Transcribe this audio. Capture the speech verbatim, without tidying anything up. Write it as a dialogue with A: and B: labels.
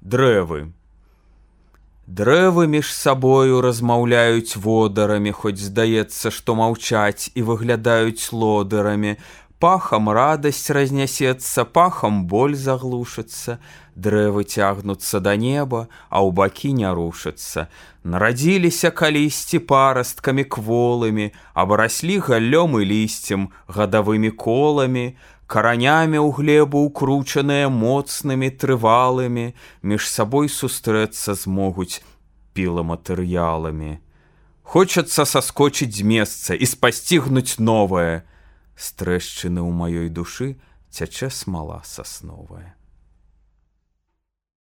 A: Дрэвы. Дрэвы між сабою размаўляюць водарамі, хоць здаецца, што маўчаць, і выглядаюць лодырамі. Пахам радасць разнясецца, пахам боль заглушыцца. Дрэвы цягнуцца да неба, а ў бакі не рушацца. Нарадзіліся калісьці парасткамі кволымі, абараслі галлём і лісцем, гадавымі коламі, каранямі ў глебу укручаныя моцнымі трывалымі, між сабой сустрэцца змогуць піламатэрыяламі. Хочацца саскочыць з месца і спасцігнуць новае. З трэшчыны ў маёй душы цячэ смала сасновая.